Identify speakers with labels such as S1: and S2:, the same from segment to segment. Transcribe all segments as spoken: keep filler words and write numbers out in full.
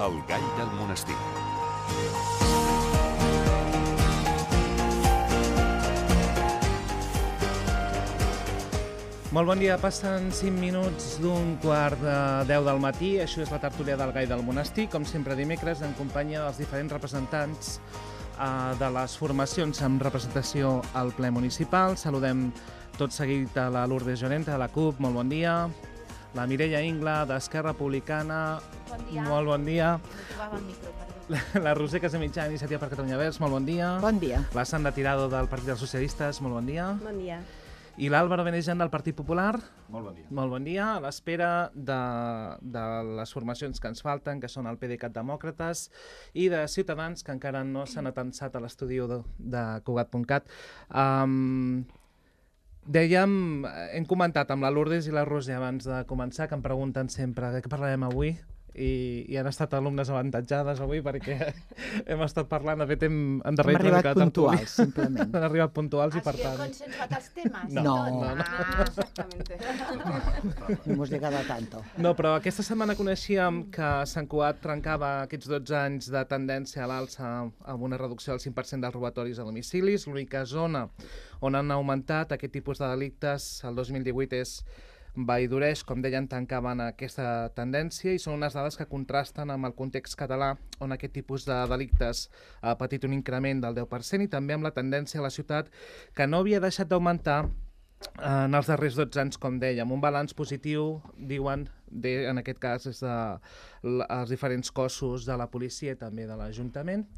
S1: El gall del monestir.
S2: Molt bon dia, passen cinc minuts d'un quart de deu del matí. Això és la tertúlia del gall del monestir, com sempre dimecres, en companyia dels diferents representants eh, de les formacions amb representació al ple municipal. Saludem tot seguit a la Lourdes Llorente, de la C U P, molt bon dia. La Mireia Ingla, d'Esquerra Republicana,
S3: bon dia.
S2: Molt bon dia.
S3: El micro,
S2: la, la Roser Casamitjà, Iniciativa per Catalunya Verds, molt bon dia.
S4: Bon dia.
S2: La Sandra Tirado, del Partit dels Socialistes, molt bon dia.
S3: Bon dia.
S2: I l'Àlvaro Benejan, del Partit Popular.
S5: Molt bon dia.
S2: Molt bon dia. A l'espera de, de les formacions que ens falten, que són el PDeCAT Demòcrates, i de Ciutadans, que encara no s'han atansat a l'estudi de, de Cugat punt cat. Um, dèiem, hem comentat amb la Lourdes i la Roser abans de començar, que em pregunten sempre de què parlarem avui. I, i han estat alumnes avantatjades avui perquè hem estat parlant, de fet hem endarrerit
S4: hem arribat puntuals, simplement.
S2: Han arribat puntuals i per tant...
S3: ¿Has consensuat els temes?
S2: No,
S4: no,
S2: no, no.
S3: Ah, exactamente.
S4: No hemos llegado a tanto.
S2: No, però aquesta setmana coneixíem que Sant Cugat trencava aquests dotze anys de tendència a l'alça amb una reducció del cinc per cent dels robatoris a domicilis. L'única zona on han augmentat aquest tipus de delictes el dos mil divuit és Vallvidreix, com deien, tancaven aquesta tendència i són unes dades que contrasten amb el context català, on aquest tipus de delictes ha patit un increment del deu per cent i també amb la tendència a la ciutat que no havia deixat d'augmentar en els darrers dotze anys, com dèiem. Un balanç positiu, diuen, de, en aquest cas, és dels diferents cossos de la policia i també de l'Ajuntament.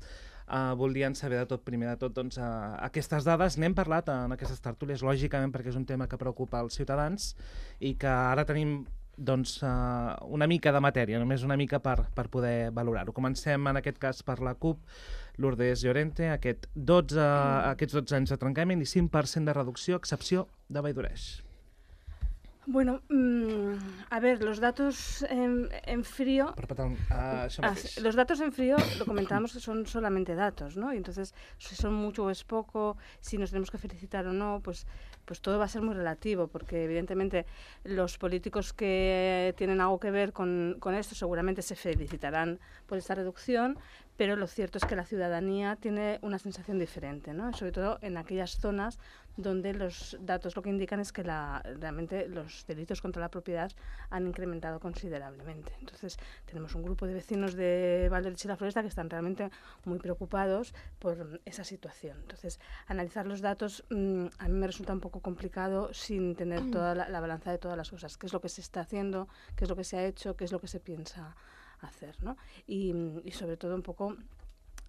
S2: Uh, voldrien saber de tot, primer de tot, doncs, uh, aquestes dades. N'hem parlat en aquestes tertúlies, lògicament, perquè és un tema que preocupa els ciutadans i que ara tenim doncs, uh, una mica de matèria, només una mica per, per poder valorar-ho. Comencem, en aquest cas, per la C U P, Lourdes Llorente, aquest dotze, aquests dotze anys de trencament i cinc per cent de reducció, a excepció de Vallvidreix.
S6: Bueno, mmm, a ver, los datos en, en frío...
S2: Uh, ah,
S6: los datos en frío, lo comentábamos, que son solamente datos, ¿no? Y entonces, si son mucho o es poco, si nos tenemos que felicitar o no, pues, pues todo va a ser muy relativo, porque evidentemente los políticos que tienen algo que ver con, con esto seguramente se felicitarán por esta reducción, pero lo cierto es que la ciudadanía tiene una sensación diferente, ¿no? Sobre todo en aquellas zonas donde los datos lo que indican es que la, realmente los delitos contra la propiedad han incrementado considerablemente. Entonces, tenemos un grupo de vecinos de Vallvidreix y la Floresta que están realmente muy preocupados por esa situación. Entonces, analizar los datos mmm, a mí me resulta un poco complicado sin tener toda la, la balanza de todas las cosas. ¿Qué es lo que se está haciendo? ¿Qué es lo que se ha hecho? ¿Qué es lo que se piensa hacer, ¿no? Y, y sobre todo un poco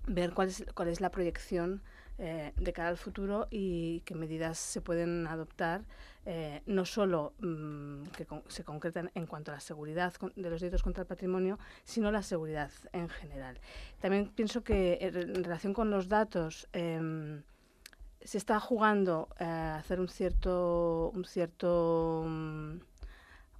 S6: ver cuál es, cuál es la proyección eh, de cara al futuro y qué medidas se pueden adoptar, eh, no solo mmm, que con, se concretan en cuanto a la seguridad con, de los delitos contra el patrimonio, sino la seguridad en general. También pienso que en relación con los datos eh, se está jugando eh, a hacer un cierto... Un cierto um,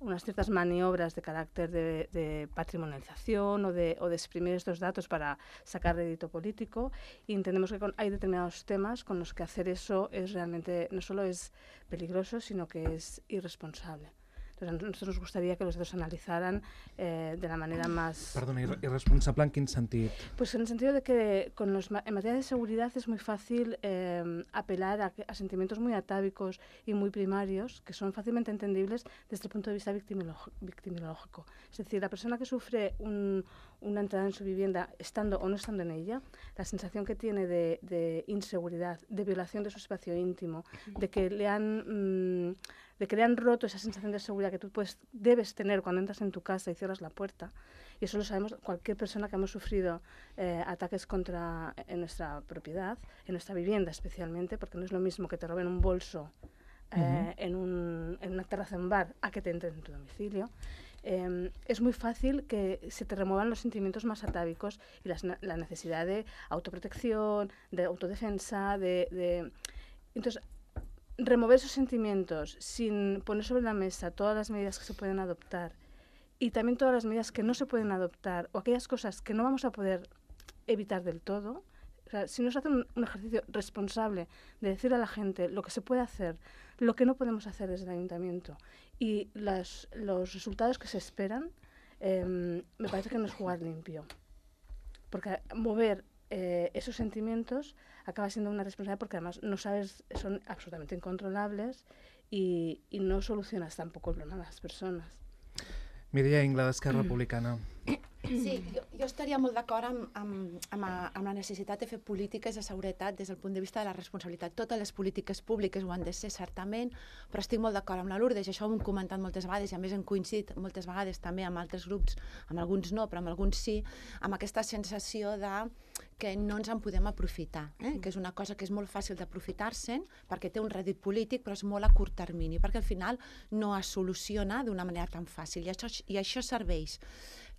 S6: unas ciertas maniobras de carácter de, de patrimonialización o de, o de exprimir estos datos para sacar rédito político, y entendemos que con, hay determinados temas con los que hacer eso es realmente, no solo es peligroso, sino que es irresponsable. Entonces, a nosotros nos gustaría que los datos se analizaran eh, de la manera más...
S2: Perdona, irresponsable en quin sentit?
S6: Pues en el sentido de que con los, en materia de seguridad es muy fácil eh, apelar a, a sentimientos muy atávicos y muy primarios, que son fácilmente entendibles desde el punto de vista victimológico. Es decir, la persona que sufre un, una entrada en su vivienda, estando o no estando en ella, la sensación que tiene de, de inseguridad, de violación de su espacio íntimo, de que le han... Mmm, de que le han roto esa sensación de seguridad que tú puedes, debes tener cuando entras en tu casa y cierras la puerta. Y eso lo sabemos cualquier persona que hemos sufrido eh, ataques contra en nuestra propiedad, en nuestra vivienda especialmente, porque no es lo mismo que te roben un bolso eh, uh-huh. en, un, en una terraza en un bar a que te entren en tu domicilio. Eh, es muy fácil que se te remuevan los sentimientos más atávicos y las, la necesidad de autoprotección, de autodefensa, de... de entonces, remover esos sentimientos sin poner sobre la mesa todas las medidas que se pueden adoptar y también todas las medidas que no se pueden adoptar o aquellas cosas que no vamos a poder evitar del todo. O sea, si no se hace un, un ejercicio responsable de decir a la gente lo que se puede hacer, lo que no podemos hacer desde el ayuntamiento y las, los resultados que se esperan, eh, me parece que no es jugar limpio. porque mover eh, esos sentimientos acaba siendo una responsabilidad porque además no sabes, son absolutamente incontrolables y, y no solucionas tampoco el problema de las personas.
S2: Mireia Ingla, d'Esquerra Republicana.
S3: Sí, jo, jo estaria molt d'acord amb, amb, amb, amb la necessitat de fer polítiques de seguretat des del punt de vista de la responsabilitat. Totes les polítiques públiques ho han de ser, certament, però estic molt d'acord amb la Lourdes, i això ho hem comentat moltes vegades, i a més hem coincidit moltes vegades també amb altres grups, amb alguns no, però amb alguns sí, amb aquesta sensació de que no ens en podem aprofitar, eh? Que és una cosa que és molt fàcil d'aprofitar-se'n perquè té un rèdit polític, però és molt a curt termini, perquè al final no es soluciona d'una manera tan fàcil, i això, i això serveix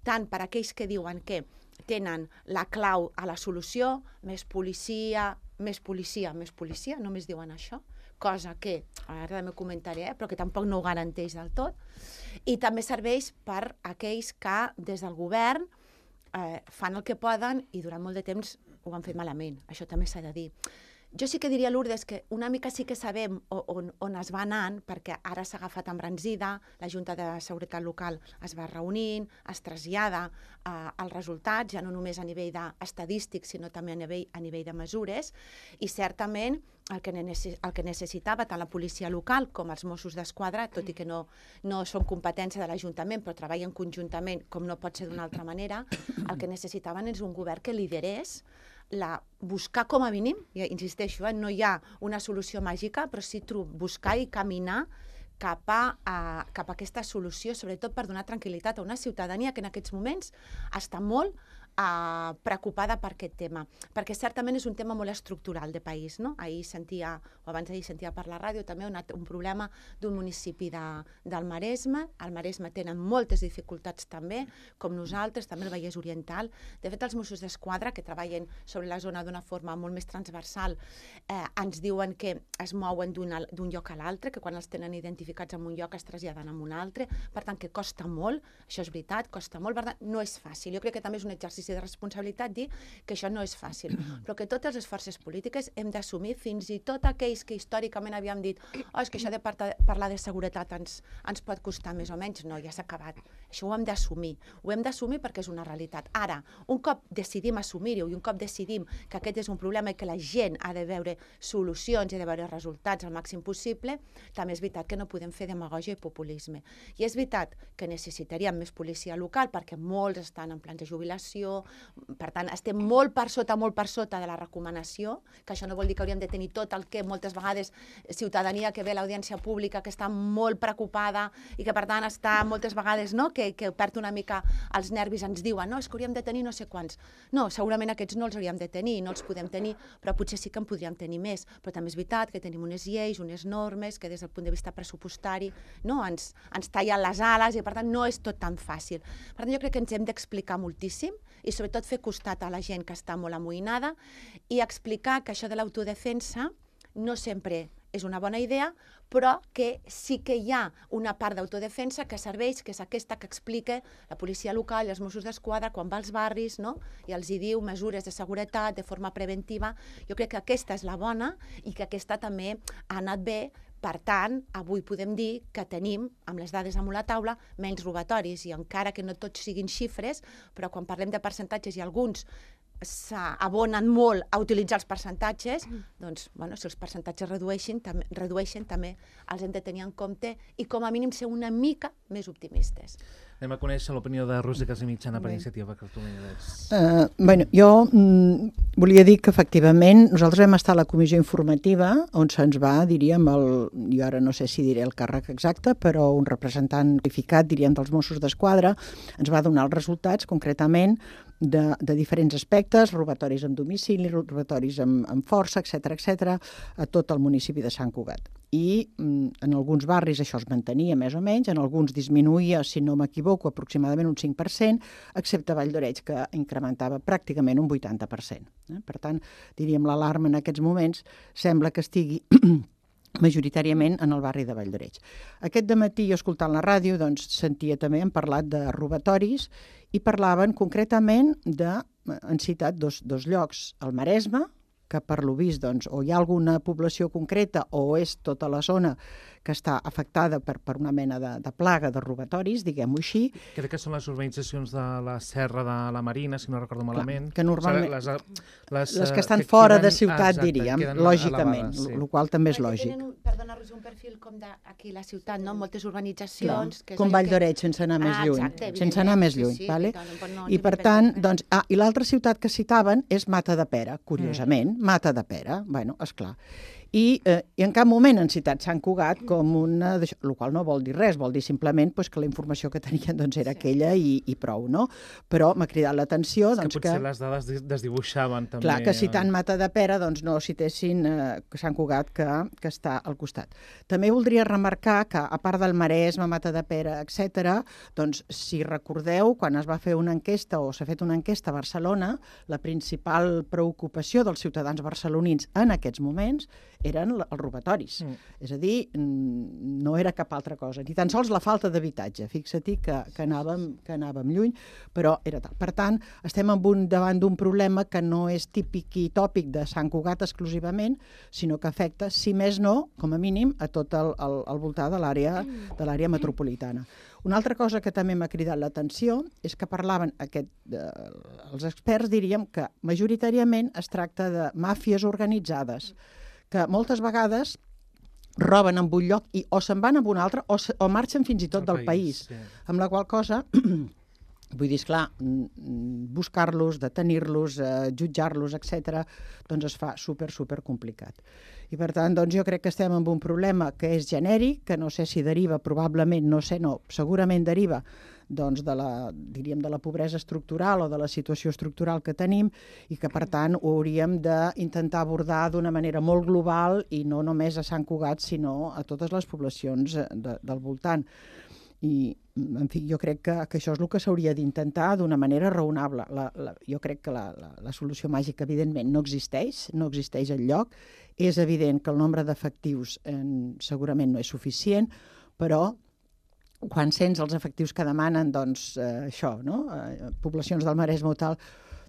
S3: tant per a aquells que diuen que tenen la clau a la solució, més policia, més policia, més policia, només diuen això, cosa que, ara també ho comentaré, eh, però que tampoc no ho garanteix del tot, i també serveix per a aquells que des del govern eh, fan el que poden i durant molt de temps ho han fet malament, això també s'ha de dir. Jo sí que diria, Lourdes, que una mica sí que sabem on, on es va anant, perquè ara s'ha agafat embranzida, la Junta de Seguretat Local es va reunint, es trasllada eh, els resultats, ja no només a nivell estadístic, sinó també a nivell, a nivell de mesures, i certament el que, el que necessitava tant la policia local com els Mossos d'Esquadra, tot i que no, no són competència de l'Ajuntament, però treballen conjuntament, com no pot ser d'una altra manera, el que necessitaven és un govern que liderés la, buscar com a mínim, ja insisteixo, eh, no hi ha una solució màgica, però sí buscar i caminar cap a, a, cap a aquesta solució, sobretot per donar tranquil·litat a una ciutadania que en aquests moments està molt Uh, preocupada per aquest tema, perquè certament és un tema molt estructural de país, no? Ahir sentia, o abans d'ahir sentia per la ràdio també un, un problema d'un municipi de, del Maresme. Al Maresme tenen moltes dificultats també, com nosaltres, també el Vallès Oriental. De fet, els Mossos d'Esquadra, que treballen sobre la zona d'una forma molt més transversal, eh, ens diuen que es mouen d'un lloc a l'altre, que quan els tenen identificats en un lloc es traslladen a un altre, per tant que costa molt, això és veritat, costa molt, per tant no és fàcil. Jo crec que també és un exercici de responsabilitat dir que això no és fàcil, però que totes les forces polítiques hem d'assumir, fins i tot aquells que històricament havíem dit oh, és que això de parlar de seguretat ens, ens pot costar més o menys, no, ja s'ha acabat. Això ho hem d'assumir, ho hem d'assumir perquè és una realitat. Ara, un cop decidim assumir-ho i un cop decidim que aquest és un problema i que la gent ha de veure solucions i ha de veure resultats al màxim possible, també és veritat que no podem fer demagògia i populisme. I és veritat que necessitaríem més policia local perquè molts estan en plans de jubilació. Per tant, estem molt per sota, molt per sota de la recomanació, que això no vol dir que hauríem de tenir tot el que moltes vegades ciutadania que ve a l'audiència pública, que està molt preocupada i que per tant està moltes vegades, no?, que, que perd una mica els nervis, ens diuen, no, és que hauríem de tenir no sé quants. No, segurament aquests no els hauríem de tenir, no els podem tenir, però potser sí que en podríem tenir més. Però també és veritat que tenim unes lleis, unes normes, que des del punt de vista pressupostari no, ens, ens tallen les ales i per tant no és tot tan fàcil. Per tant, jo crec que ens hem d'explicar moltíssim i sobretot fer costat a la gent que està molt amoïnada i explicar que això de l'autodefensa no sempre és una bona idea, però que sí que hi ha una part d'autodefensa que serveix, que és aquesta que explica la policia local i els Mossos d'Esquadra quan va als barris, no?, i els hi diu mesures de seguretat de forma preventiva. Jo crec que aquesta és la bona i que aquesta també ha anat bé. Per tant, avui podem dir que tenim, amb les dades damunt la taula, menys robatoris, i encara que no tots siguin xifres, però quan parlem de percentatges i alguns s'abonen molt a utilitzar els percentatges, doncs, bueno, si els percentatges redueixen, també, redueixen, també els hem de tenir en compte i com a mínim ser una mica més optimistes.
S2: Anem a conèixer l'opinió de Roser Casamitjana per Iniciativa per Catalunya.
S4: Uh, bueno, jo mm, volia dir que efectivament nosaltres vam estar a la comissió informativa on se'ns va, diríem, el, jo ara no sé si diré el càrrec exacte, però un representant qualificat, diríem, dels Mossos d'Esquadra, ens va donar els resultats concretament de, de diferents aspectes, robatoris en domicili, robatoris amb, amb força, etcètera, etcètera, a tot el municipi de Sant Cugat. I mm, en alguns barris això es mantenia més o menys, en alguns disminuïa, si no m'equivoco, aproximadament un cinc per cent, excepte Vall d'Oreig, que incrementava pràcticament un vuitanta per cent. Eh? Per tant, diríem, l'alarma en aquests moments sembla que estigui majoritàriament en el barri de Vall d'Oreig. Aquest dematí, jo escoltant la ràdio, doncs, sentia també, hem parlat de robatoris i parlaven concretament de, han citat dos, dos llocs, el Maresme, que per lo vist doncs, o hi ha alguna població concreta o és tota la zona que està afectada per, per una mena de, de plaga de robatoris, diguem-ho així.
S2: Crec que són les urbanitzacions de la Serra de la Marina, si no recordo malament.
S4: Clar, que normalment...
S2: O sigui, les, les,
S4: les que estan
S2: que
S4: fora
S2: queden,
S4: de ciutat,
S2: exacte,
S4: diríem, lògicament, el sí. qual també és
S3: Perquè
S4: lògic.
S3: Tenen un, perdona, Roser, un perfil com d'aquí la ciutat, no? Moltes urbanitzacions...
S4: Que com Vall d'Oreig, sense anar més
S3: ah,
S4: lluny.
S3: Exacte,
S4: sense anar més lluny,
S3: sí, sí,
S4: vale?
S3: Doncs, no,
S4: I per tant, doncs, ah, i l'altra ciutat que citaven és Mata de Pera, curiosament, mm. Mata de Pera, bueno, esclar. I, eh, I en cap moment han citat Sant Cugat com una... El qual no vol dir res, vol dir simplement pues, que la informació que tenien doncs, era sí. aquella i, i prou, no? Però m'ha cridat l'atenció...
S2: És
S4: doncs,
S2: que potser
S4: que,
S2: les dades desdibuixaven també.
S4: Clar, que citant Mata de Pera doncs, no citessin eh, Sant Cugat que, que està al costat. També voldria remarcar que, a part del Maresme, Mata de Pera, etcètera, doncs, si recordeu, quan es va fer una enquesta o s'ha fet una enquesta a Barcelona, la principal preocupació dels ciutadans barcelonins en aquests moments eren els robatoris. Mm. És a dir, no era cap altra cosa. Ni tan sols la falta d'habitatge. Fixa-t'hi que, que, anàvem, que anàvem lluny, però era tal. Per tant, estem en un, davant d'un problema que no és típic i tòpic de Sant Cugat exclusivament, sinó que afecta, si més no, com a mínim, a tot el, el, el voltant de l'àrea de l'àrea metropolitana. Una altra cosa que també m'ha cridat l'atenció és que parlaven, aquest, eh, els experts diríem que majoritàriament es tracta de màfies organitzades, que moltes vegades roben en un lloc i o se'n van a un altre o, se, o marxen fins i tot el del país. país. Sí. Amb la qual cosa, vull dir, esclar, buscar-los, detenir-los, eh, jutjar-los, etcètera, doncs es fa super, super complicat. I per tant, doncs jo crec que estem amb un problema que és genèric, que no sé si deriva, probablement, no sé, no, segurament deriva doncs de la, diríem, de la pobresa estructural o de la situació estructural que tenim i que, per tant, ho hauríem d'intentar abordar d'una manera molt global i no només a Sant Cugat, sinó a totes les poblacions de, del voltant. I, en fi, jo crec que, que això és el que s'hauria d'intentar d'una manera raonable. La, la, jo crec que la, la, la solució màgica, evidentment, no existeix, no existeix enlloc. És evident que el nombre d'efectius eh, segurament no és suficient, però quan sents els efectius que demanen, doncs, eh, això, no? Eh, poblacions del Maresme o tal,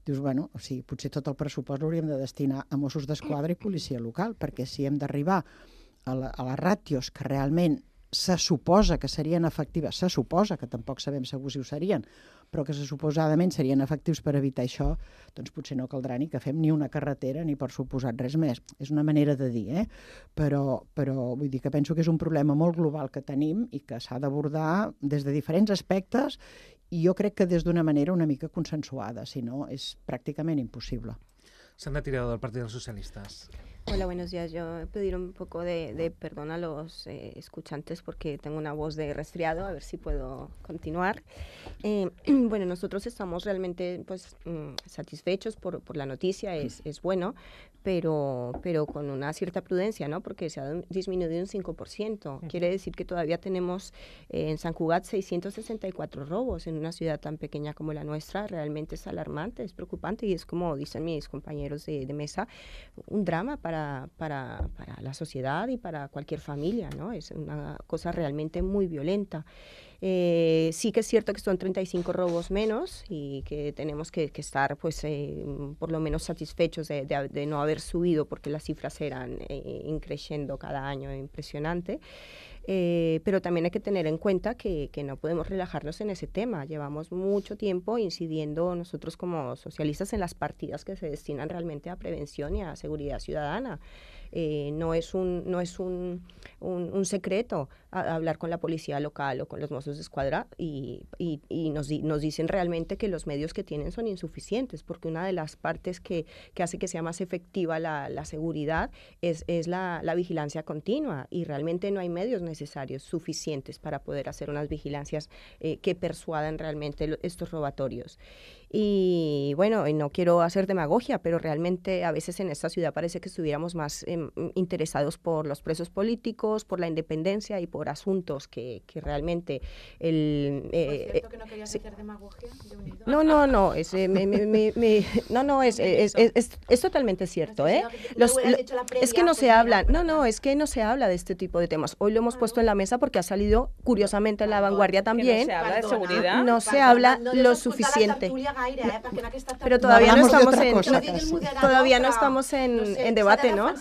S4: dius, bueno, o sigui, potser tot el pressupost l'hauríem de destinar a Mossos d'Esquadra i policia local, perquè si hem d'arribar a, la, a les ràtios que realment se suposa que serien efectives, se suposa, que tampoc sabem segur si ho serien, però que se suposadament serien efectius per evitar això, doncs potser no caldrà ni que fem ni una carretera ni per suposat res més. És una manera de dir, eh? Però, però vull dir que penso que és un problema molt global que tenim i que s'ha d'abordar des de diferents aspectes i jo crec que des d'una manera una mica consensuada, si no és pràcticament impossible.
S2: Sandra Tirado, del Partido de los Socialistas.
S1: Hola, buenos días. Yo pedir un poco de, de perdón a los eh, escuchantes porque tengo una voz de resfriado, a ver si puedo continuar. Eh, bueno, nosotros estamos realmente pues, mm, satisfechos por, por la noticia, es, es bueno, pero, pero con una cierta prudencia, ¿no? Porque se ha disminuido un cinco por ciento. Quiere decir que todavía tenemos eh, en San Cugat seiscientos sesenta y cuatro robos en una ciudad tan pequeña como la nuestra. Realmente es alarmante, es preocupante y es, como dicen mis compañeros de, de mesa, un drama para Para, para, para la sociedad y para cualquier familia, ¿no? Es una cosa realmente muy violenta. Eh, sí que es cierto que son treinta y cinco robos menos y que tenemos que, que estar pues, eh, por lo menos satisfechos de, de, de no haber subido porque las cifras eran eh, increciendo cada año, impresionante. Eh, pero también hay que tener en cuenta que, que no podemos relajarnos en ese tema. Llevamos mucho tiempo incidiendo nosotros como socialistas en las partidas que se destinan realmente a prevención y a seguridad ciudadana. Eh, no es un, no es un, un, un secreto a, a hablar con la policía local o con los Mossos d'Esquadra y, y, y nos, di, nos dicen realmente que los medios que tienen son insuficientes, porque una de las partes que, que hace que sea más efectiva la, la seguridad es, es la, la vigilancia continua y realmente no hay medios necesarios suficientes para poder hacer unas vigilancias eh, que persuadan realmente lo, estos robatorios. Y bueno, no quiero hacer demagogia, pero realmente a veces en esta ciudad parece que estuviéramos más, eh, interesados por los presos políticos, por la independencia y por asuntos que, que realmente... El,
S3: eh, ¿Por cierto que no querías sí. hacer demagogia de unido?
S1: No, no, no, es, eh, me, me, me, me, no, no, es, es, es, es, es totalmente cierto, ¿eh? Los, lo, es que no se habla, no, no, es que no se habla de este tipo de temas. Hoy lo hemos puesto en la mesa porque ha salido, curiosamente, en La Vanguardia también.
S6: No se habla de seguridad.
S1: No se habla lo suficiente. Pero todavía no estamos en, todavía no estamos en, en debate, ¿no?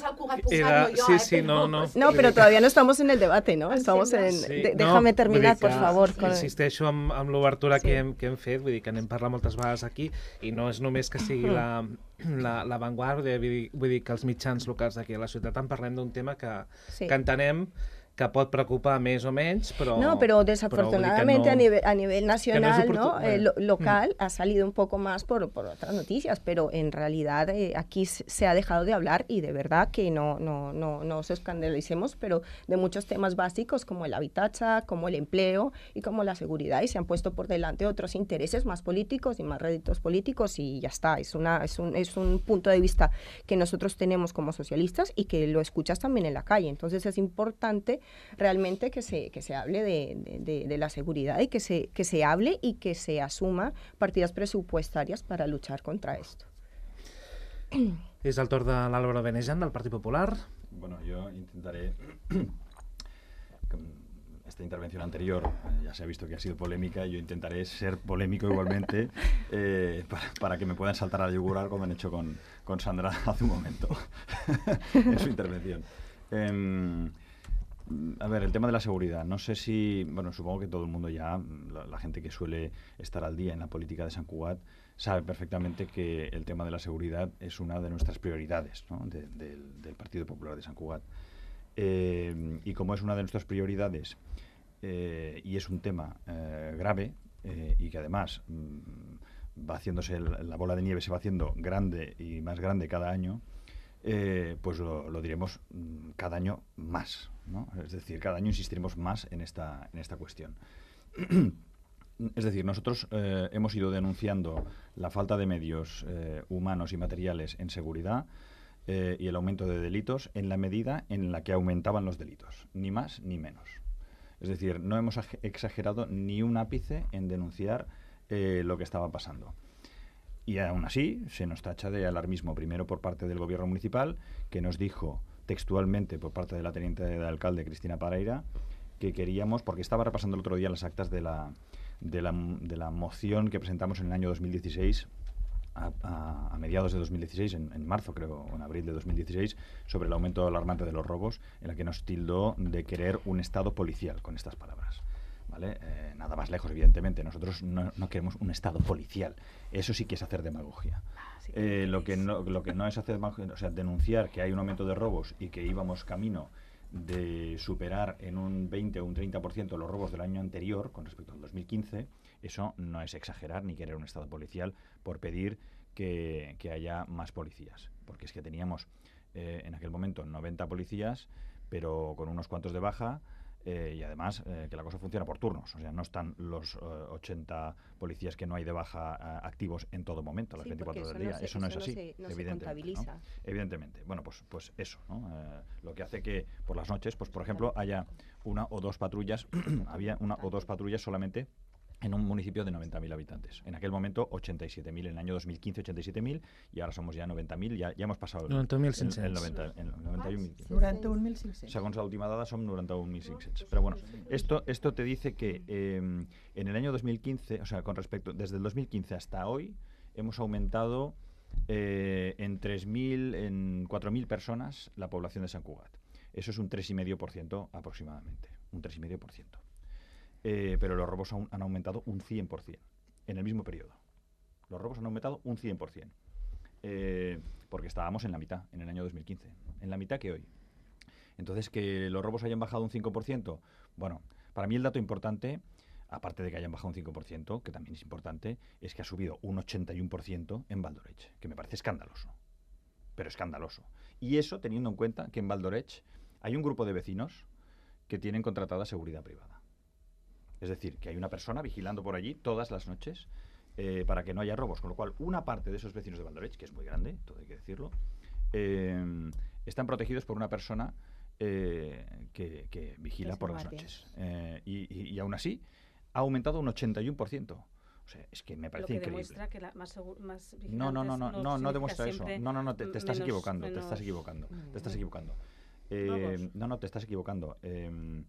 S2: Era, sí, sí, no, no.
S1: No, però todavía no estamos en el debate, ¿no? Estamos en...
S2: Sí,
S1: de, déjame
S2: no,
S1: terminar, por favor.
S2: Con... Insisteixo amb, amb l'obertura
S1: sí.
S2: que, hem, que hem fet, vull dir que n'hem parlat moltes vegades aquí, i no és només que sigui mm. la, la, la Vanguardia, vull dir, vull dir que els mitjans locals d'aquí a la ciutat en parlem d'un tema que, sí. que entenem que pot preocupar més o menys, però...
S1: No, pero desafortunadamente
S2: pero no,
S1: a, nivel, a nivel nacional,
S2: no,
S1: ¿no? Eh, lo, local, mm. ha salido un poco más por, por otras noticias, pero en realidad eh, aquí se ha dejado de hablar y de verdad que no, no, no, no nos escandalicemos, pero de muchos temas básicos como el habitat, como el empleo y como la seguridad, y se han puesto por delante otros intereses más políticos y más réditos políticos y ya está. Es, una, es, un, es un punto de vista que nosotros tenemos como socialistas y que lo escuchas también en la calle. Entonces es importante realmente que se, que se hable de, de, de la seguridad y que se, que se hable y que se asuma partidas presupuestarias para luchar contra esto.
S2: És el torn de l'Álvaro Benejan, del Partit Popular.
S5: Bueno, yo intentaré... Esta intervención anterior ya se ha visto que ha sido polémica, yo intentaré ser polémico igualmente eh, para, para que me puedan saltar a la yugular como han hecho con, con Sandra hace un momento en su intervención. Eh, A ver, el tema de la seguridad. No sé si... Bueno, supongo que todo el mundo ya, la, la gente que suele estar al día en la política de Sant Cugat, sabe perfectamente que el tema de la seguridad es una de nuestras prioridades, ¿no? de, de, del Partido Popular de Sant Cugat. Eh, y como es una de nuestras prioridades eh, y es un tema eh, grave eh, y que además mmm, va haciéndose, el, la bola de nieve se va haciendo grande y más grande cada año, Eh, pues lo, lo diremos mmm, cada año más, ¿no? Es decir, cada año insistiremos más en esta, en esta cuestión. Es decir, nosotros eh, hemos ido denunciando la falta de medios eh, humanos y materiales en seguridad eh, y el aumento de delitos en la medida en la que aumentaban los delitos, ni más ni menos. Es decir, no hemos exagerado ni un ápice en denunciar eh, lo que estaba pasando. Y aún así se nos tacha de alarmismo, primero por parte del gobierno municipal, que nos dijo textualmente por parte de la teniente de alcalde Cristina Pareira que queríamos, porque estaba repasando el otro día las actas de la, de la, de la moción que presentamos en el año dos mil dieciséis, a, a, a mediados de dos mil dieciséis, en, en marzo creo, o en abril de dos mil dieciséis, sobre el aumento alarmante de los robos, en la que nos tildó de querer un Estado policial, con estas palabras. ¿Vale? Eh, nada más lejos, evidentemente. Nosotros no, no queremos un Estado policial. Eso sí que es hacer demagogia. Ah, sí que eh, lo, que no, lo que no es hacer demagogia, o sea, denunciar que hay un aumento de robos y que íbamos camino de superar en un veinte o un treinta por ciento los robos del año anterior con respecto al dos mil quince, eso no es exagerar ni querer un Estado policial por pedir que, que haya más policías. Porque es que teníamos eh, en aquel momento noventa policías, pero con unos cuantos de baja. Eh, y además eh, que la cosa funciona por turnos, o sea, no están los uh, ochenta policías que no hay de baja uh, activos en todo momento, las sí, veinticuatro horas del día. No se, eso no es así, no se, no evidentemente. ¿No? Evidentemente. Bueno, pues, pues eso, ¿no? Eh, lo que hace que por las noches, pues por ejemplo, haya una o dos patrullas, había una o dos patrullas solamente en un municipio de noventa mil habitantes. En aquel momento ochenta y siete mil, en el año dos mil quince ochenta y siete mil, y ahora somos ya noventa mil, ya, ya hemos pasado el,
S2: noventa mil cinc cents.
S5: el, el noventa, el noventa y un mil.
S4: noranta un mil cinc cents.
S5: Según la última dada son noventa un mil cinc cents. Pero bueno, esto, esto te dice que eh, en el año dos mil quince, o sea, con respecto, desde el dos mil quince hasta hoy, hemos aumentado eh, en tres mil, en cuatro mil personas la población de Sant Cugat. Eso es un tres coma cinco por ciento aproximadamente, un tres coma cinco por ciento. Eh, pero los robos han, han aumentado un cien por ciento en el mismo periodo. Los robos han aumentado un cien por ciento. Eh, porque estábamos en la mitad, en el año dos mil quince. En la mitad que hoy. Entonces, que los robos hayan bajado un cinco por ciento, bueno, para mí el dato importante, aparte de que hayan bajado un cinco por ciento, que también es importante, es que ha subido un ochenta y uno por ciento en Val d'Oreix, que me parece escandaloso. Pero escandaloso. Y eso teniendo en cuenta que en Val d'Oreix hay un grupo de vecinos que tienen contratada seguridad privada. Es decir, que hay una persona vigilando por allí todas las noches eh, para que no haya robos. Con lo cual, una parte de esos vecinos de Val d'Oreix, que es muy grande, todo hay que decirlo, eh, están protegidos por una persona eh, que, que vigila
S1: Los
S5: por las
S1: guardias.
S5: noches. Eh, y, y, y aún así ha aumentado un ochenta y uno por ciento. O sea, es que me
S6: Lo
S5: parece
S6: que
S5: increíble.
S6: demuestra que la, más, segu- más vigilantes
S5: No, no, no, no, no, no
S6: significa
S5: demuestra eso.
S6: siempre
S5: No, no, no, te, te estás
S6: menos-
S5: equivocando, te
S6: menos-
S5: estás equivocando, te estás equivocando.
S6: Vamos.
S5: Eh, no, no, te estás equivocando. Eh,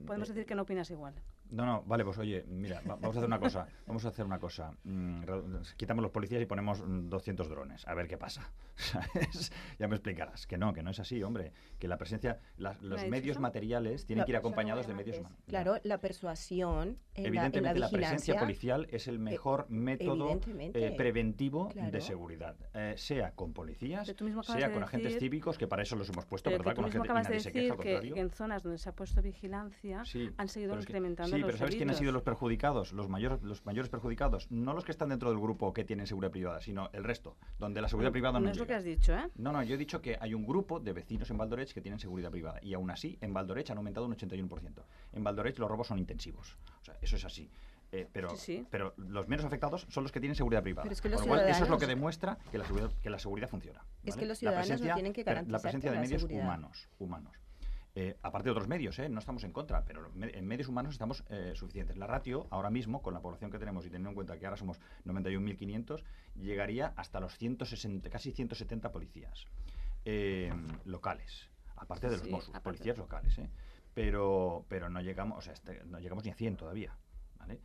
S6: Podemos
S5: eh,
S6: decir que no opinas igual.
S5: No, no, vale, pues oye, mira, va- vamos a hacer una cosa, vamos a hacer una cosa. Mm, re- quitamos los policías y ponemos mm, doscientos drones, a ver qué pasa. ¿Sabes? Ya me explicarás. Que no, que no es así, hombre. Que la presencia, las-
S6: ¿Me
S5: los
S6: ha dicho
S5: medios
S6: eso?
S5: materiales tienen
S1: La
S5: que ir
S1: persona
S5: acompañados de
S1: buena
S5: medios...
S1: es-
S5: ma-
S1: Claro, la persuasión en la, en la
S5: Evidentemente la, presencia
S1: vigilancia.
S5: policial es el mejor
S1: eh,
S5: método
S1: evidentemente.
S5: eh, preventivo
S1: Claro.
S5: de seguridad, eh, sea con policías,
S6: Pero tú mismo acabas
S5: sea
S6: de
S5: con agentes
S6: decir-
S5: cívicos, que para eso los hemos puesto,
S6: Pero que
S5: ¿verdad?
S6: tú
S5: Con
S6: mismo
S5: agentes, y
S6: acabas de
S5: nadie se queja,
S6: decir
S5: al
S6: que,
S5: contrario.
S6: que en zonas donde se ha puesto vigilancia
S5: Sí,
S6: han seguido
S5: pero es que-
S6: incrementando
S5: sí,
S6: los
S5: pero ¿sabes quiénes han sido
S6: delitos.
S5: los perjudicados? Los mayores, los mayores perjudicados. No los que están dentro del grupo que tienen seguridad privada, sino el resto, donde la seguridad privada no,
S6: No es lo
S5: llega.
S6: que has dicho, ¿eh?
S5: No, no, yo he dicho que hay un grupo de vecinos en Valdorech que tienen seguridad privada. Y aún así, en Valdorech han aumentado un ochenta y uno por ciento. En Valdorech los robos son intensivos. O sea, eso es así. Eh, pero,
S6: Sí, sí.
S5: pero los menos afectados son los que tienen seguridad privada.
S1: Pero es que los
S5: Con lo cual, eso es lo
S1: ciudadanos-
S5: que demuestra que la seguridad, que la seguridad funciona.
S1: Es
S5: ¿vale?
S1: que los
S5: La
S1: ciudadanos no
S5: presencia-
S1: tienen que
S5: per- La
S1: garantizar
S5: presencia de
S1: la
S5: medios
S1: seguridad.
S5: humanos. humanos. Eh, aparte de otros medios, ¿eh? No estamos en contra, pero me- en medios humanos estamos eh, suficientes. La ratio, ahora mismo, con la población que tenemos y teniendo en cuenta que ahora somos noventa y un mil quinientos, llegaría hasta los ciento sesenta, casi ciento setenta policías eh, locales, aparte de los
S6: Sí,
S5: Mossos,
S6: aparte.
S5: policías locales, ¿eh? Pero, pero no llegamos, o sea, este- no llegamos ni a cien todavía, ¿vale?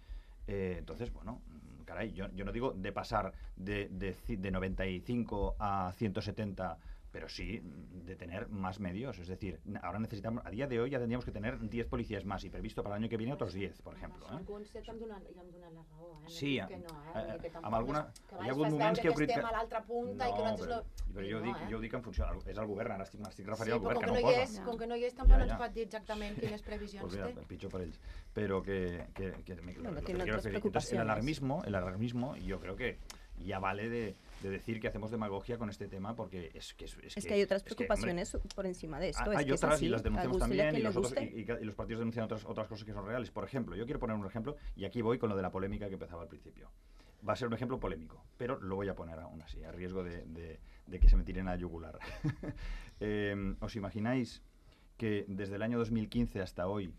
S5: Eh, entonces, bueno, mm, caray, yo, yo no digo de pasar de, de, ci- de noventa y cinco a ciento setenta, pero sí mm, de tener más medios. Es decir, n- ahora necesitamos, a día de hoy ya tendríamos que tener diez policías más y previsto para el año que viene otros diez, por ejemplo. ¿eh?
S3: Alguns ja em donen, ja em donen la raó, eh? No
S5: Sí,
S3: dic
S5: a-
S3: que no, eh?
S5: eh,
S3: Vull dir que
S5: amb
S3: tampoc
S5: alguna-
S3: és- que
S5: hi ha
S3: abans
S5: hagut
S3: fas
S5: moments
S3: veure
S5: que heu crit
S3: estem
S5: que-
S3: a l'altra punta i que
S5: No,
S3: nosaltres
S5: però,
S3: no...
S5: però jo,
S3: no,
S5: dic,
S3: eh?
S5: jo dic en funció, és el govern, ara estic, m'estic
S3: Sí,
S5: referint al
S3: però
S5: govern
S3: com
S5: que
S3: que
S5: no,
S3: no hi
S5: posa.
S3: és, com que no hi és, tampoc
S5: Ja,
S3: no ens
S5: ja.
S3: pot dir exactament quines previsions
S5: Pues
S3: té.
S5: mira, pitjor para ellos. Pero que, que, que me-
S1: Bueno,
S5: lo que
S1: tiene
S5: quiero
S1: otras
S5: referir. Entonces, el
S1: preocupaciones.
S5: alarmismo, el alarmismo, yo creo que ya vale de, de decir que hacemos demagogia con este tema porque es que es, es
S1: Es que hay otras
S5: es que, hombre,
S1: preocupaciones por encima de esto.
S5: hay
S1: es que es
S5: otras
S1: así,
S5: y las
S1: a
S5: denunciamos
S1: guste le
S5: también
S1: que
S5: y,
S1: le
S5: nosotros,
S1: guste.
S5: y, y- y los partidos denuncian otras, otras cosas que son reales. Por ejemplo, yo quiero poner un ejemplo y aquí voy con lo de la polémica que empezaba al principio. Va a ser un ejemplo polémico, pero lo voy a poner aún así, a riesgo de, de- de que se me tiren a yugular. Eh, ¿Os imagináis que desde el año dos mil quince hasta hoy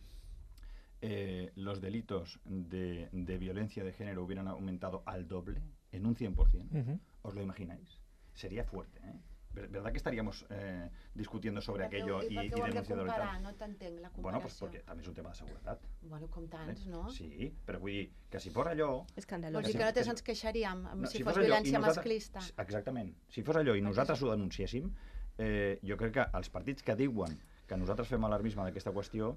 S5: eh, los delitos de, de violencia de género hubieran aumentado al doble, en un cien por ciento?
S2: Ujú.
S5: ¿Os lo imagináis? Sería fuerte, ¿eh? Ver- ¿Verdad que estaríamos eh, discutiendo sobre
S3: I per què-
S5: aquello y,
S3: I per
S5: y
S3: què ho hem de
S5: denunciándolo y tal?
S3: comparar? No t'entenc, la comparació.
S5: Bueno, pues porque también es un tema de seguridad.
S3: Bueno, com tants, no?
S5: Sí, però vull dir que si fos allò...
S1: Escandaloso.
S3: Vols dir
S5: Sí,
S3: que nosaltres
S5: sí.
S3: ens queixaríem
S5: No,
S3: si,
S5: si
S3: fos
S5: fos allò i
S3: violència
S5: nosaltres-
S3: masclista?
S5: Exactament. Si fos allò i nosaltres ho denunciéssim, eh, jo crec que els partits que diuen que nosaltres fem alarmisme d'aquesta qüestió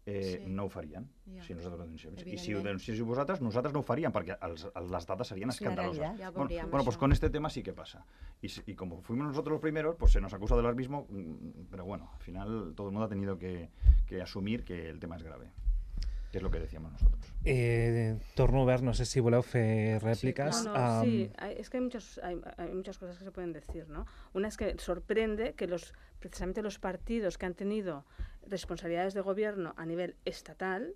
S5: eh,
S3: Sí.
S5: no ho farien,
S3: Ja.
S5: si nosaltres ho denunciem. I si ho
S3: Evidentment.
S5: denunciéssiu vosaltres, nosaltres no ho faríem, perquè els, els, les dades serien
S1: És la
S5: escandaloses.
S1: realitat.
S3: Ja ho
S5: bueno,
S3: veuríem,
S5: bueno, pues
S3: això.
S5: con este tema sí que pasa. Y, si- y como fuimos nosotros los primeros, pues se nos acusa de alarmismo, mm, pero bueno, al final todo el mundo ha tenido que, que asumir que el tema es grave, que es lo que decíamos nosotros.
S2: Eh, torno obert, no sé si voleu fer rèpliques.
S6: No, no,
S2: Am,
S6: sí, hay- es que hay, muchos, hay, hay muchas cosas que se pueden decir, ¿no? Una es que sorprende que los precisamente los partidos que han tenido responsabilidades de gobierno a nivel estatal,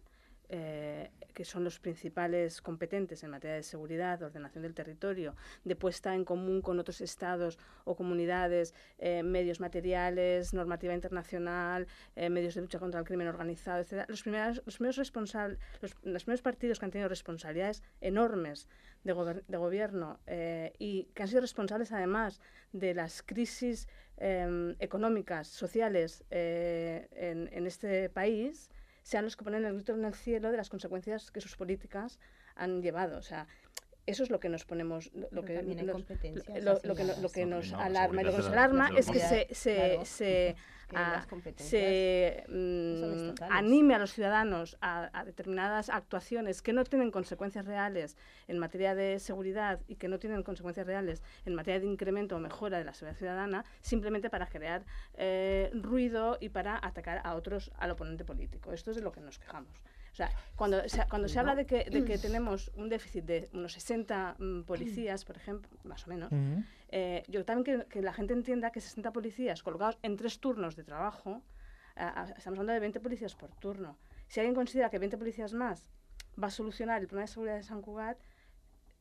S6: eh, que son los principales competentes en materia de seguridad, ordenación del territorio, de puesta en común con otros estados o comunidades, eh, medios materiales, normativa internacional, eh, medios de lucha contra el crimen organizado, etcétera. Los primeros, los primeros responsables, los, los primeros partidos que han tenido responsabilidades enormes de, gober- de gobierno eh, y que han sido responsables además de las crisis eh, económicas, sociales eh, en, en este país, sean los que ponen el grito en el cielo de las consecuencias que sus políticas han llevado. O sea, eso es lo que nos ponemos, lo, lo
S1: Pero
S6: que
S1: también hay
S6: nos,
S1: competencias
S6: lo, lo que, no- lo
S1: asignadas.
S6: que
S5: No,
S6: nos
S5: no, la
S6: alarma y lo que nos
S5: seguridad de la-
S6: alarma es que se,
S1: seguridad,
S6: se,
S1: claro.
S6: se,
S1: Que
S6: a-
S1: las competencias
S6: se
S1: son
S6: mm,
S1: estatales.
S6: anime a los ciudadanos a, a determinadas actuaciones que no tienen consecuencias reales en materia de seguridad y que no tienen consecuencias reales en materia de incremento o mejora de la seguridad ciudadana, simplemente para crear eh, ruido y para atacar a otros, al oponente político. Esto es de lo que nos quejamos. O sea, cuando se, cuando se habla de que, de que tenemos un déficit de unos sesenta mm, policías, por ejemplo, más o menos,
S2: ujú.
S6: eh, yo también que, que la gente entienda que sesenta policías colocados en tres turnos de trabajo, eh, estamos hablando de veinte policías por turno. Si alguien considera que veinte policías más va a solucionar el problema de seguridad de San Cugat,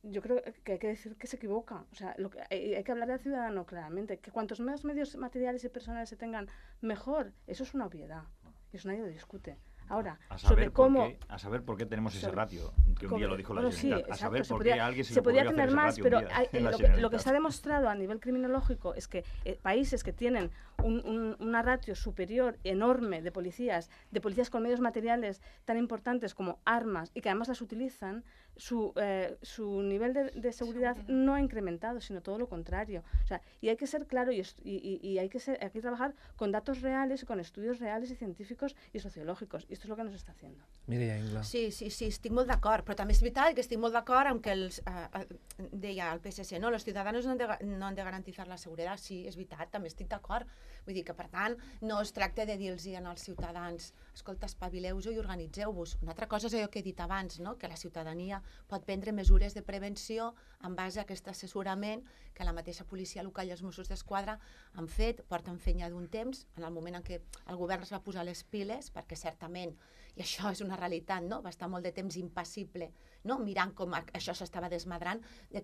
S6: yo creo que hay que decir que se equivoca. O sea, lo que, hay, hay que hablar al ciudadano claramente, que cuantos más medios materiales y personales se tengan, mejor. Eso es una obviedad, y eso nadie lo discute. Ahora,
S5: a saber
S6: sobre
S5: por
S6: cómo...
S5: Qué, a saber por qué tenemos ese
S6: sobre,
S5: ratio, que un
S6: como,
S5: día lo dijo la
S6: bueno,
S5: Generalitat,
S6: sí,
S5: a
S6: exacto,
S5: saber
S6: se
S5: por
S6: podría,
S5: qué a alguien se,
S6: se
S5: le
S6: podría
S5: ocurrió
S6: tener
S5: hacer
S6: más,
S5: ese
S6: pero
S5: ratio
S6: hay,
S5: en la
S6: lo, que, lo que
S5: Generalitat.
S6: está demostrado a nivel criminológico es que eh, países que tienen un, un, una ratio superior, enorme, de policías, de policías con medios materiales tan importantes como armas y que además las utilizan, su, eh, su nivel de, de seguridad no ha incrementado, sino todo lo contrario. O sea, y hay que ser claro y, y, y hay, que ser, hay que trabajar con datos reales, con estudios reales y científicos y sociológicos. Y esto es lo que nos está haciendo.
S2: Mireia Ingla.
S3: Sí, sí, sí, estic molt d'acord, però també és veritat que estic molt d'acord amb que els, eh, eh, deia el P S C, no, los ciudadanos no han, de, no han de garantizar la seguretat. Sí, és veritat, també estic d'acord. Vull dir que, per tant, no es tracta de dir-los als ciutadans, escolta, espavileu-vos i organitzeu-vos. Una altra cosa és allò que he dit abans, no? Que la ciutadania pot prendre mesures de prevenció en base a aquest assessorament que la mateixa policia local i els Mossos d'Esquadra han fet, porten fent ja d'un temps, en el moment en què el govern es va posar les piles, perquè certament, i això és una realitat, no? Va estar molt de temps impassible, no? Mirant com això s'estava desmadrant.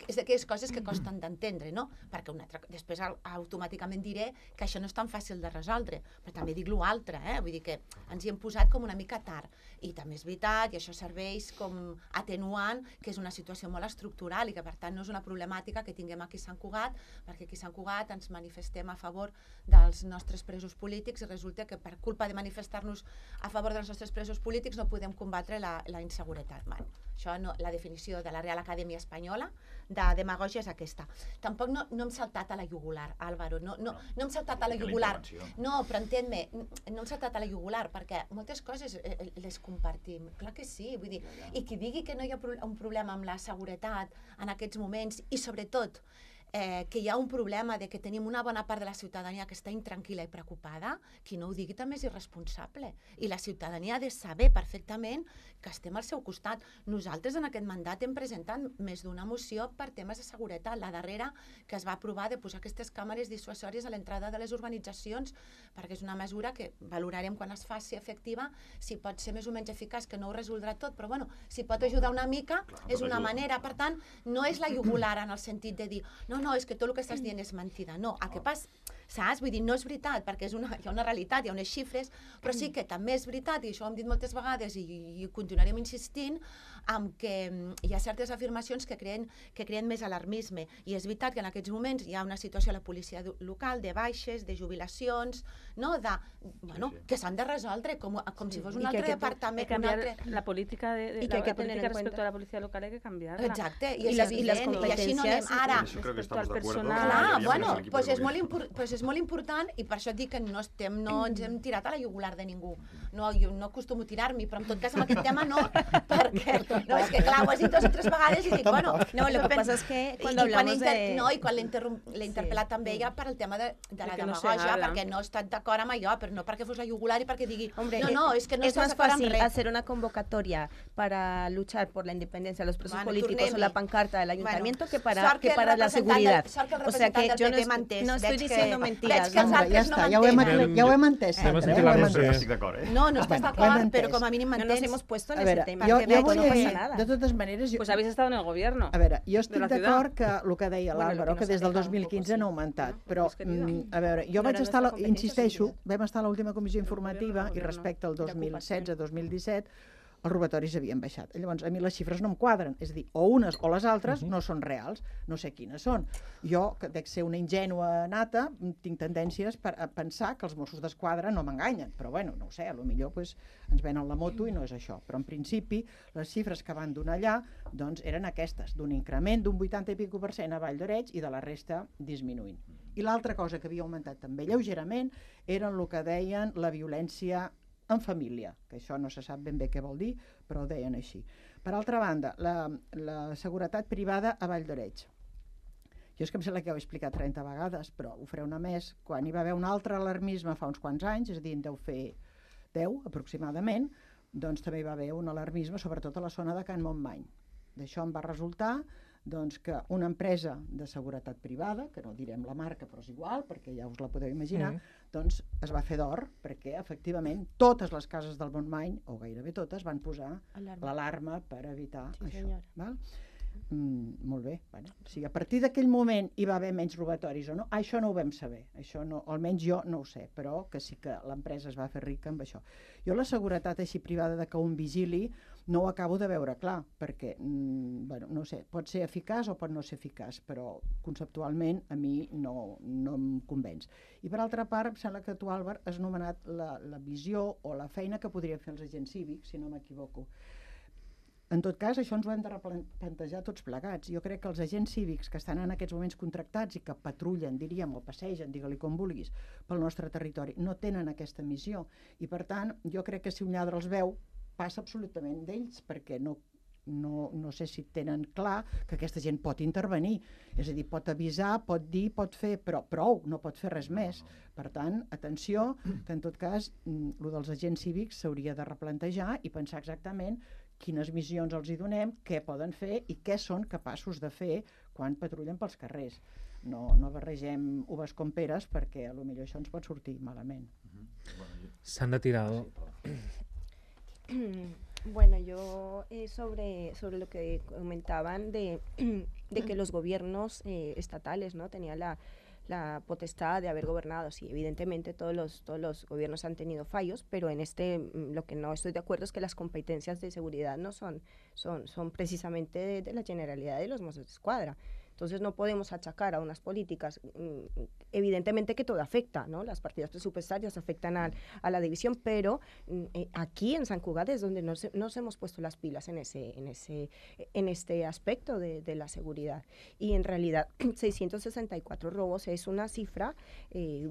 S3: És d'aquelles coses que costen d'entendre, no? Perquè una altra, després automàticament diré que això no és tan fàcil de resoldre, però també dic l'altre, eh? Vull dir que ens hi hem posat com una mica tard. I també és veritat, i això serveix com atenuant, que és una situació molt estructural i que per tant no és una problemàtica que tinguem aquí a Sant Cugat, perquè aquí a Sant Cugat ens manifestem a favor dels nostres presos polítics i resulta que per culpa de manifestar-nos a favor dels nostres presos polítics no podem combatre la, la inseguretat. Bueno, això no, la definició de la Real Acadèmia Espanyola de demagògia és aquesta. Tampoc no, no hem saltat a la jugular, Álvaro, no, no, no hem saltat a la jugular. No, però entén-me, no hem saltat a la jugular perquè moltes coses les compartim, clar que sí, vull dir, i qui digui que no hi ha un problema amb la seguretat en aquests moments i sobretot Eh, que hi ha un problema de que tenim una bona part de la ciutadania que està intranquil·la i preocupada, qui no ho digui també és irresponsable. I la ciutadania ha de saber perfectament que estem al seu costat. Nosaltres en aquest mandat hem presentat més d'una moció per temes de seguretat. La darrera que es va aprovar de posar aquestes càmeres dissuasòries a l'entrada de les organitzacions, perquè és una mesura que valorarem quan es faci efectiva, si pot ser més o menys eficaç, que no ho resoldrà tot, però bueno, si pot ajudar una mica, és una manera. Per tant, no és la jugular en el sentit de dir no, no, és que tot el que estàs dient és mentida. No, el que passa, saps? Vull dir, no és veritat, perquè és una, hi ha una realitat, hi ha unes xifres, però sí que també és veritat, i això ho hem dit moltes vegades i, i continuarem insistint, amb que hi ha certes afirmacions que creen, que creen més alarmisme. I és veritat que en aquests moments hi ha una situació a la policia local de baixes, de jubilacions, no? de, bueno, sí, sí. que s'han de resoldre com, com sí. si fos un altre departament.
S6: Que canviar altre... la política, de, de,
S1: y que
S6: la,
S1: hay que
S6: la política respecto
S1: cuenta.
S6: a la policía local hay que cambiarla.
S3: Exacte, i,
S1: y, las, y las
S3: competencias. I així no anem ara.
S5: Eso creo que estamos de acuerdo.
S3: Clar, bueno, pues és, molt pues és molt important i per això dic que no, estem, no ens hem tirat a la jugular de ningú. No, jo no acostumo a tirar-m'hi, però en tot cas amb aquest tema no, perquè no, és que clar, ho has dit dues o tres vegades i dic, bueno...
S1: No, lo que pasa es que cuando hablamos
S3: inter...
S1: de...
S3: No, i quan l'he interpel·lat sí. també ja per el tema de, de la de demagògia, no perquè no he estat d'acord amb allò, però no perquè fos la jugular i perquè digui, Hombre, no, no, és que no
S1: es
S3: estàs
S1: más
S3: d'acord amb
S1: fácil
S3: res.
S1: hacer una convocatoria para luchar por la independencia de los presos
S3: bueno,
S1: políticos o la pancarta del ayuntamiento
S3: bueno,
S1: que para, que para la seguridad.
S3: Del,
S1: o sea que yo no,
S3: mantès,
S1: no estoy diciendo
S3: que,
S1: mentiras.
S3: Que
S1: no,
S3: ja
S4: està, ja ho hem, ja ho hem entès.
S2: Eh,
S4: Sempre,
S2: eh?
S4: Ja ho hem
S2: Sí.
S5: Estic d'acord, eh?
S3: No, no estàs d'acord, però com a mínim
S1: no
S3: m'entens.
S1: nos hemos puesto en
S4: A veure,
S1: ese tema.
S4: jo,
S1: que
S4: jo
S1: no
S4: volia
S1: pasa
S4: dir,
S1: nada.
S4: de totes maneres... Jo,
S6: Pues habéis estado en el gobierno.
S4: a veure, jo estic
S6: de la
S4: d'acord que el que deia
S1: Bueno,
S4: l'Àlvaro,
S1: lo que
S4: que
S1: nos
S4: des
S1: ha
S4: del
S1: dejado
S4: dos mil quinze
S1: un
S4: no ha
S1: poco,
S4: augmentat,
S6: sí.
S4: però,
S6: Hemos querido.
S4: mm, a veure, jo
S1: No
S4: vaig
S1: era
S4: estar, a la,
S1: nuestra competencia,
S4: insisteixo,
S1: sí,
S4: vam estar a l'última comissió informativa
S6: gobierno,
S4: i respecte al dos mil setze
S1: d'ocupació.
S4: dos mil disset els robatoris havien baixat. Llavors, a mi les xifres no em quadren. És a dir, o unes o les altres no són reals. No sé quines són. Jo, que dec ser una ingènua nata, tinc tendències per a pensar que els Mossos d'Esquadra no m'enganyen. Però, bueno, no ho sé, potser pues, ens venen la moto i no és això. Però, en principi, les xifres que van donar allà doncs, eren aquestes, d'un increment d'un vuitanta i pico per cent a Vall d'Oreig i de la resta disminuint. I l'altra cosa que havia augmentat també lleugerament eren el que deien la violència en família, que això no se sap ben bé què vol dir, però ho deien així. Per altra banda, la, la seguretat privada a Vall d'Oreig. Jo és que em sembla que ho he explicat trenta vegades, però ho faré una més. Quan hi va haver un altre alarmisme fa uns quants anys, és a dir, en deu fer deu aproximadament, doncs també hi va haver un alarmisme, sobretot a la zona de Can Montmany. D'això em va resultar doncs, que una empresa de seguretat privada, que no direm la marca però és igual, perquè ja us la podeu imaginar, mm. doncs es va fer d'or, perquè efectivament totes les cases del Montmany, o gairebé totes, van posar l'alarma per evitar
S1: sí,
S4: això. Val? Mm, molt bé. Bueno, si a partir d'aquell moment hi va haver menys robatoris o no, això no ho vam saber. Això no, almenys jo no ho sé, però que sí que l'empresa es va fer rica amb això. Jo la seguretat així privada de que un vigili no ho acabo de veure clar, perquè, mm, bueno, no sé, pot ser eficaç o pot no ser eficaç, però conceptualment a mi no, no em convenç. I per altra part, em sembla que tu, Àlvar, has nomenat la, la visió o la feina que podrien fer els agents cívics, si no m'equivoco. En tot cas, això ens ho hem de replantejar tots plegats. Jo crec que els agents cívics que estan en aquests moments contractats i que patrullen, diríem, o passegen, digue-li com vulguis, pel nostre territori, no tenen aquesta missió. I, per tant, jo crec que si un lladre els veu, passa absolutament d'ells, perquè no, no, no sé si tenen clar que aquesta gent pot intervenir. És a dir, pot avisar, pot dir, pot fer, però prou, no pot fer res més. Per tant, atenció, que en tot cas, el dels agents cívics s'hauria de replantejar i pensar exactament quines missions els hi donem, què poden fer i què són capaços de fer quan patrullen pels carrers. No, no barregem uves com peres perquè potser això ens pot sortir malament.
S2: S'han de tirar.
S1: Bueno, yo eh, sobre, sobre lo que comentaban de, de que los gobiernos eh, estatales, ¿no?, tenían la, la potestad de haber gobernado. Sí, evidentemente todos los, todos los gobiernos han tenido fallos, pero en este lo que no estoy de acuerdo es que las competencias de seguridad no son, son, son precisamente de, de la Generalidad de los Mossos d'Esquadra. Entonces no podemos achacar a unas políticas, evidentemente que todo afecta, ¿no? Las partidas presupuestarias afectan a, a la división, pero eh, aquí en San Cugat es donde nos, nos hemos puesto las pilas en, ese, en, ese, en este aspecto de, de la seguridad. Y en realidad seiscientos sesenta y cuatro robos es una cifra eh,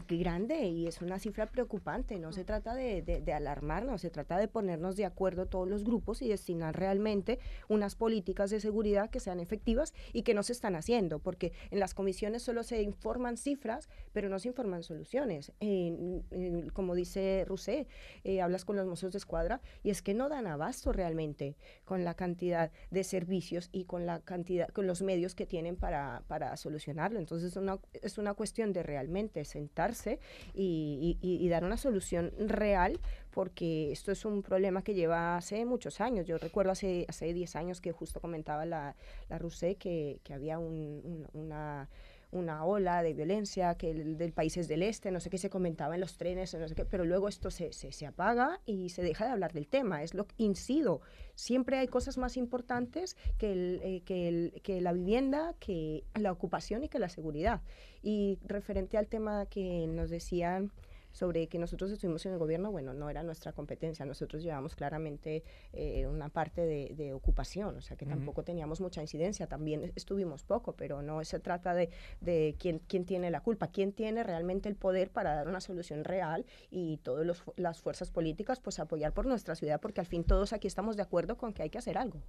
S1: grande y es una cifra preocupante. No se trata de, de, de alarmarnos, se trata de ponernos de acuerdo todos los grupos y destinar realmente unas políticas de seguridad que sean efectivas y que no se están haciendo, porque en las comisiones solo se informan cifras, pero no se informan soluciones. Eh, eh, como dice Rousset, eh, hablas con los Mossos d'Esquadra y es que no dan abasto realmente con la cantidad de servicios y con la cantidad, con los medios que tienen para, para solucionarlo. Entonces una, es una cuestión de realmente sentarse y, y, y dar una solución real, porque esto es un problema que lleva hace muchos años. Yo recuerdo hace, hace diez años que justo comentaba la, la Rousset que, que había un, un, una, una ola de violencia, que el del países del este, no sé qué se comentaba en los trenes, no sé qué, pero luego esto se, se, se apaga y se deja de hablar del tema. Es lo que incido. Siempre hay cosas más importantes que, el, eh, que, el, que la vivienda, que la ocupación y que la seguridad. Y referente al tema que nos decían sobre que nosotros estuvimos en el gobierno, bueno, no era nuestra competencia, nosotros llevamos claramente eh, una parte de, de ocupación, o sea que uh-huh. tampoco teníamos mucha incidencia, también estuvimos poco, pero no se trata de, de quién, quién tiene la culpa, quién tiene realmente el poder para dar una solución real y todas las fuerzas políticas pues apoyar por nuestra ciudad, porque al fin todos aquí estamos de acuerdo con que hay que hacer algo.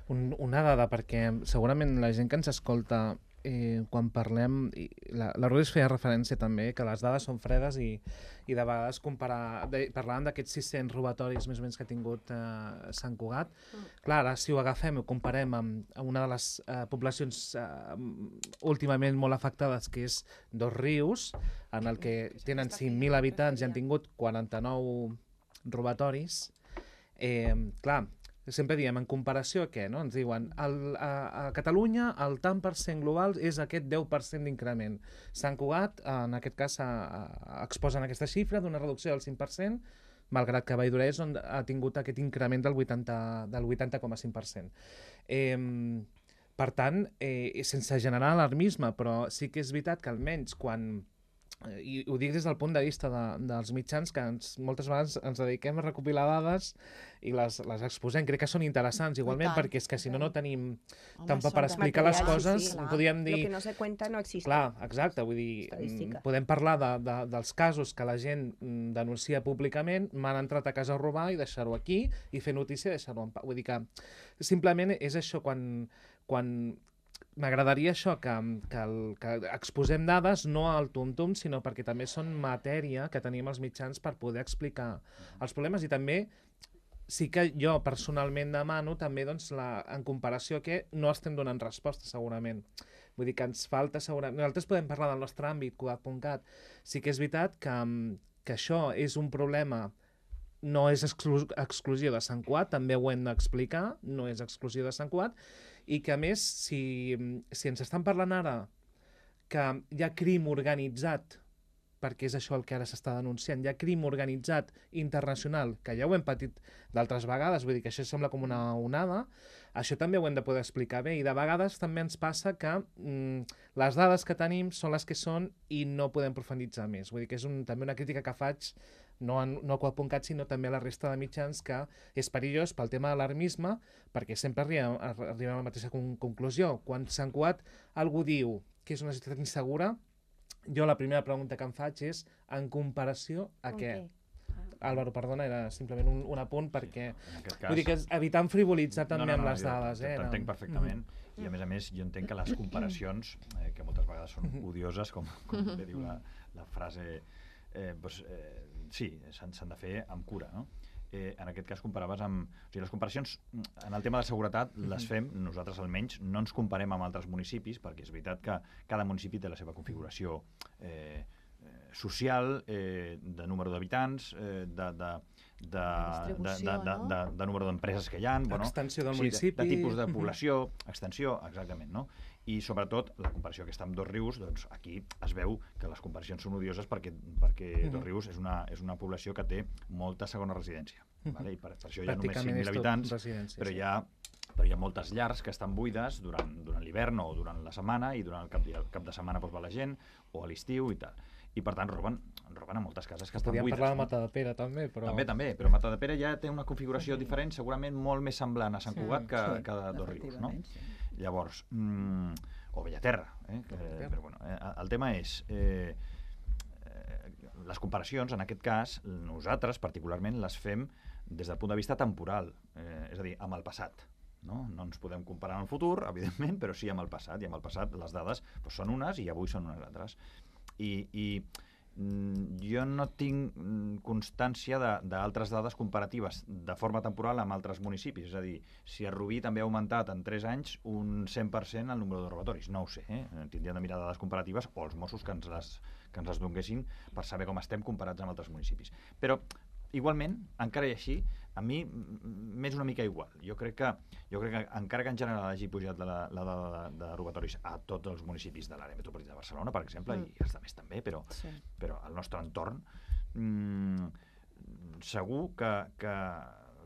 S2: Un, una dada, perquè segurament la gent que ens escolta Eh, quan parlem, la, la Rodés feia referència també que les dades són fredes i, i de vegades comparar, de, parlàvem d'aquests sis-cents robatoris més o menys que ha tingut eh, Sant Cugat. Mm. Clar, ara si ho agafem i ho comparem amb, amb una de les eh, poblacions eh, últimament molt afectades, que és Dos Rius, en el que tenen cinc mil habitants i han tingut quaranta-nou robatoris, eh, clar, sempre diem, en comparació a què? No? Ens diuen, el, a, a Catalunya el tant per cent global és aquest deu per cent d'increment. Sant Cugat, en aquest cas, a, a, exposen aquesta xifra d'una reducció del cinc per cent, malgrat que Valldoreix on ha tingut aquest increment del vuitanta coma cinc per cent. Eh, per tant, eh, sense generar alarmisme, però sí que és veritat que almenys quan... i ho dic des del punt de vista de, dels mitjans, que ens, moltes vegades ens dediquem a recopilar dades i les, les exposem. Crec que són interessants, igualment, perquè és que si no, no tenim tampoc per explicar les coses. Sí, sí, podríem dir...
S1: Lo que no se cuenta no existe.
S2: Clar, exacte, vull dir, podem parlar de, de, dels casos que la gent denuncia públicament, m'han entrat a casa a robar i deixar-ho aquí, i fer notícia i deixar-ho en pau. Vull dir que simplement és això, quan... quan m'agradaria això, que, que, el, que exposem dades no al tum-tum, sinó perquè també són matèria que tenim els mitjans per poder explicar els problemes. I també sí que jo personalment demano també doncs, la, en comparació que no estem donant resposta segurament. Vull dir que ens falta segurament... Nosaltres podem parlar del nostre àmbit, Cugat punt cat. Sí que és veritat que, que això és un problema, no és exclu exclusiu de Sant Cugat, també ho hem d'explicar, no és exclusiu de Sant Cugat, i que a més, si, si ens estan parlant ara que hi ha crim organitzat, perquè és això el que ara s'està denunciant, hi ha crim organitzat internacional, que ja ho hem patit d'altres vegades, vull dir que això sembla com una onada, això també ho hem de poder explicar bé, i de vegades també ens passa que mm, les dades que tenim són les que són i no podem profunditzar més. Vull dir que és un, també una crítica que faig no, en, no a Qual.cat, sinó també a la resta de mitjans, que és perillós pel tema de l'alarmisme, perquè sempre arribem, arribem a la mateixa con conclusió. Quan Sant Cugat algú diu que és una ciutat insegura, jo la primera pregunta que em faig és en comparació a què?
S1: Okay.
S2: Álvaro, perdona, era simplement un, un apunt perquè...
S5: Sí, en aquest cas...
S2: Vull dir que és evitant frivolitzar també
S5: no, no, no,
S2: amb les
S5: jo
S2: dades. Eh?
S5: T'entenc perfectament. I a més a més, jo entenc que les comparacions, eh, que moltes vegades són odioses, com, com bé diu la, la frase, eh, doncs, eh, sí, s'han de fer amb cura, no? Eh, en aquest cas comparaves amb... O sigui, les comparacions en el tema de seguretat les fem, nosaltres almenys, no ens comparem amb altres municipis, perquè és veritat que cada municipi té la seva configuració eh, social, eh, de número d'habitants, eh, de, de, de, de, de, de, de, de número d'empreses que hi ha, bueno,
S2: extensió del
S5: sí,
S2: municipi,
S5: de, de tipus de població, extensió, exactament, no? I sobretot la comparació aquesta amb Dosrius, doncs aquí es veu que les comparacions són odioses perquè, perquè uh -huh. Dosrius és una, és una població que té molta segona residència, uh -huh. vale? I per, per això hi ha només cinc mil habitants, però hi ha però hi ha moltes llars que estan buides durant, durant l'hivern o durant la setmana, i durant el cap, el cap de setmana doncs, va la gent, o a l'estiu i tal. I per tant roben, roben a moltes cases que estan
S2: Podríem
S5: buides.
S2: Podríem parlar de Matadepera també, però...
S5: També, també, però Matadepera ja té una configuració diferent, segurament molt més semblant a Sant Cugat que, sí, que a Dosrius, no? Sí. Llavors, mmm, o Bellaterra, eh? Que, però bueno, eh, el tema és... Eh, eh, les comparacions, en aquest cas, nosaltres particularment les fem des del punt de vista temporal, eh, és a dir, amb el passat. No? no ens podem comparar amb el futur, evidentment, però sí amb el passat, i amb el passat les dades doncs, són unes i avui són unes altres. I, i mm, jo no tinc mm, constància d'altres dades comparatives de forma temporal amb altres municipis, és a dir, si a Rubí també ha augmentat en tres anys un cent per cent el número de robatoris, no ho sé, eh? Tindríem de mirar dades comparatives o els Mossos que ens les, que ens les donguessin per saber com estem comparats amb altres municipis. Però igualment, encara i així, a mi m'és una mica igual. Jo crec que, jo crec que encara que en general hagi pujat la, la dada de, de robatoris a tots els municipis de l'àrea metropolitana de Barcelona, per exemple, mm. i els altres també, però, sí. però al nostre entorn, mmm, segur que, que,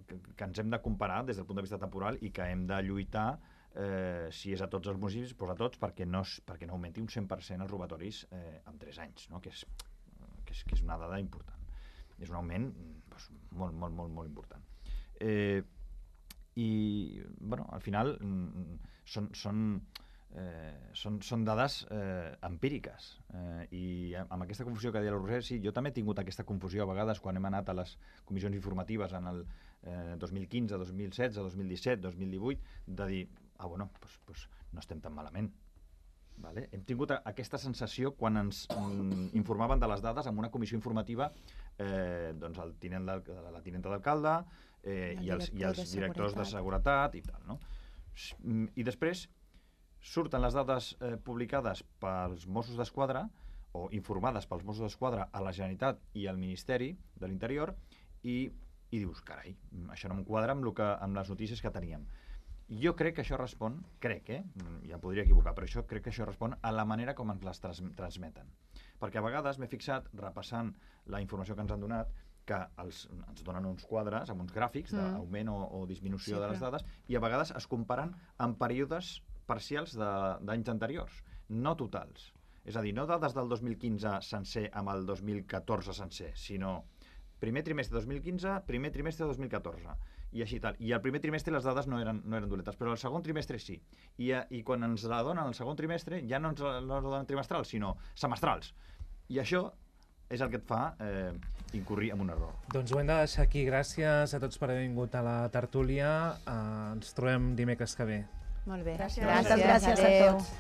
S5: que, que ens hem de comparar des del punt de vista temporal i que hem de lluitar, eh, si és a tots els municipis, doncs a tots, perquè no, perquè no augmenti un cent per cent els robatoris eh, en tres anys, no? que, és, que, és, que és una dada important. És un augment doncs, molt, molt, molt, molt important. Eh, I, bueno, al final mm, són, són, eh, són, són dades eh, empíriques. Eh, I amb aquesta confusió que deia la Roser, sí, jo també he tingut aquesta confusió a vegades quan hem anat a les comissions informatives en el eh, dos mil quinze, dos mil setze, dos mil disset, dos mil divuit, de dir, ah, bueno, doncs, doncs no estem tan malament. Vale? Hem tingut aquesta sensació quan ens mm, informaven de les dades en una comissió informativa, eh, doncs el tinent la tinenta d'alcalde eh, i, els, i els de directors de seguretat i tal, no? I després surten les dades eh, publicades pels Mossos d'Esquadra o informades pels Mossos d'Esquadra a la Generalitat i al Ministeri de l'Interior i, i dius, carai, això no em quadra amb, lo que, amb les notícies que teníem. Jo crec que això respon, crec, eh? ja podria equivocar, però això crec que això respon a la manera com ens les trans transmeten. Perquè a vegades m'he fixat, repassant la informació que ens han donat, que els, ens donen uns quadres amb uns gràfics d'augment o, o disminució sí, de les dades, i a vegades es comparen amb períodes parcials d'anys anteriors, no totals. És a dir, no dades del dos mil quinze sencer amb el dos mil catorze sencer, sinó primer trimestre dos mil quinze, primer trimestre dos mil catorze, i així tal. I el primer trimestre les dades no eren, no eren doletes, però el segon trimestre sí. I, i quan ens la donen el segon trimestre, ja no ens la, no ens la donen trimestrals, sinó semestrals. I això és el que et fa eh, incurrir en un error.
S2: Doncs ho hem de deixar aquí. Gràcies a tots per haver vingut a la tertúlia. Uh, ens trobem dimecres que ve.
S3: Molt bé.
S1: Gràcies, gràcies, gràcies a tots.